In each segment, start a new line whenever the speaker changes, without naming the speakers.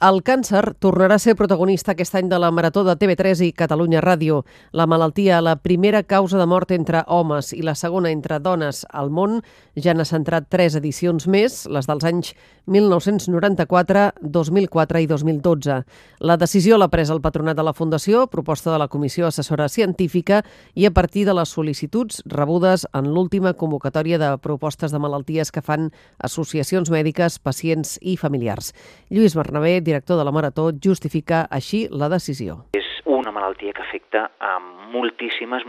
El càncer tornarà a ser protagonista aquest any de la Marató de TV3 i Catalunya Ràdio. La malaltia, la primera causa de mort entre homes i la segona entre dones al món, ja n'ha centrat 3 edicions més, les dels anys 1994, 2004 i 2012. La decisió l'ha pres el patronat de la Fundació, proposta de la Comissió Assessora Científica i a partir de les sol·licituds rebudes en l'última convocatòria de propostes de malalties que fan associacions mèdiques, pacients i familiars. Lluís Bernabé, director de la Marató, justifica així la decisió.
És una malaltia que afecta a moltíssimes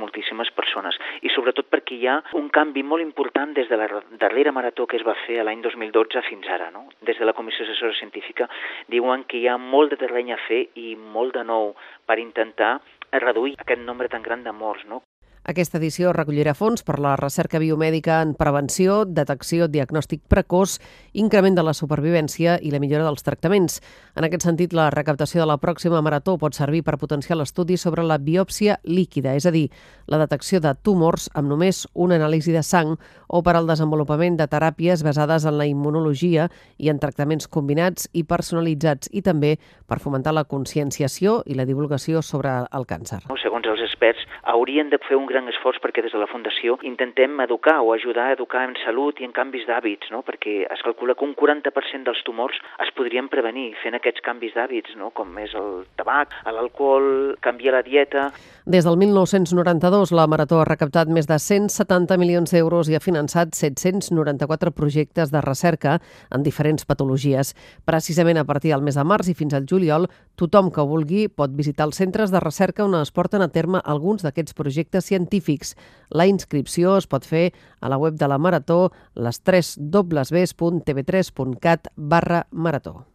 persones i sobretot perquè hi ha un canvi molt important des de la darrera marató que es va fer l'any 2012 fins ara. No? Des de la Comissió Assessora Científica diuen que hi ha molt de terreny a fer i molt de nou per intentar reduir aquest nombre tan gran de morts. No?
Aquesta edició recollirà fons per la recerca biomèdica en prevenció, detecció, diagnòstic precoç, increment de la supervivència i la millora dels tractaments. En aquest sentit, la recaptació de la pròxima marató pot servir per potenciar l'estudi sobre la biòpsia líquida, és a dir, la detecció de tumors amb només una anàlisi de sang o per al desenvolupament de teràpies basades en la immunologia i en tractaments combinats i personalitzats i també per fomentar la conscienciació i la divulgació sobre el càncer.
Segons els experts, haurien de fer un gran esforç perquè des de la Fundació intentem educar o ajudar a educar en salut i en canvis d'hàbits, no? Perquè es calcula que un 40% dels tumors es podrien prevenir fent aquests canvis d'hàbits, no? Com és el tabac, l'alcohol, canviar la dieta.
Des del 1992, la Marató ha recaptat més de 170 milions d'euros i ha finançat 794 projectes de recerca en diferents patologies. Precisament a partir del mes de març i fins al juliol, tothom que ho vulgui pot visitar els centres de recerca on es porten a terme alguns d'aquests projectes científics. La inscripció es pot fer a la web de la Marató, les 3 www.tv3.cat/marató.